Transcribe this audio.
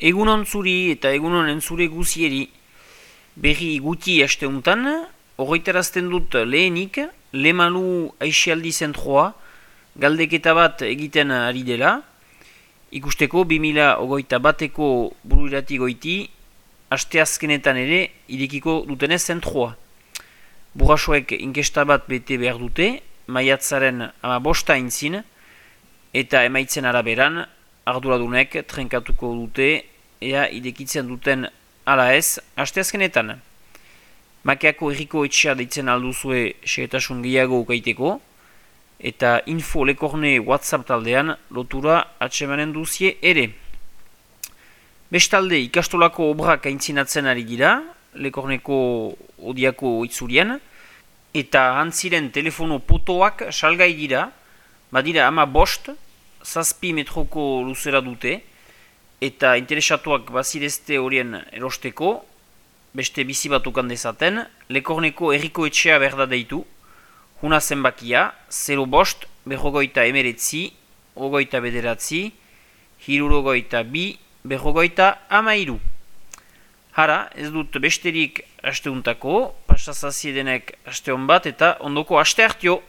Egunon zuri eta egunon entzure guzieri. Berri guti asteuntan, horretarazten dut lehenik, Lemalu Aixialdi Zentroa, galdeketa bat egiten ari dela, ikusteko 2021eko buruirati goiti, asteazkenetan ere irekiko dutenez zentroa. Burrasoek inkesta bat bete behar dute, maiatzaren 15 intzin, eta emaitzen araberan, arduradunek trenkatuko dute, ea idekitzen duten ala ez, asteazkenetan. Makeako erriko etxea deitzen alduzue segetasun gehiago ukaiteko, eta info lekorne WhatsApp taldean lotura atsemanen duzie ere. Bestalde ikastolako obrak aintzinatzen ari dira, lekorneko odiako itzurien, eta antziren telefono potoak salgai dira, badira 15, 7 metroko luzera dute, eta interesatuak bazirezte horien erosteko, beste bizi bat ukan dezaten, lekorneko erriko etxea berda deitu, huna zenbakia, 05, 49, 29, 62, 53. Hara, ez dut besterik asteuntako, pasazaziedenek asteon bat eta ondoko aste hartio.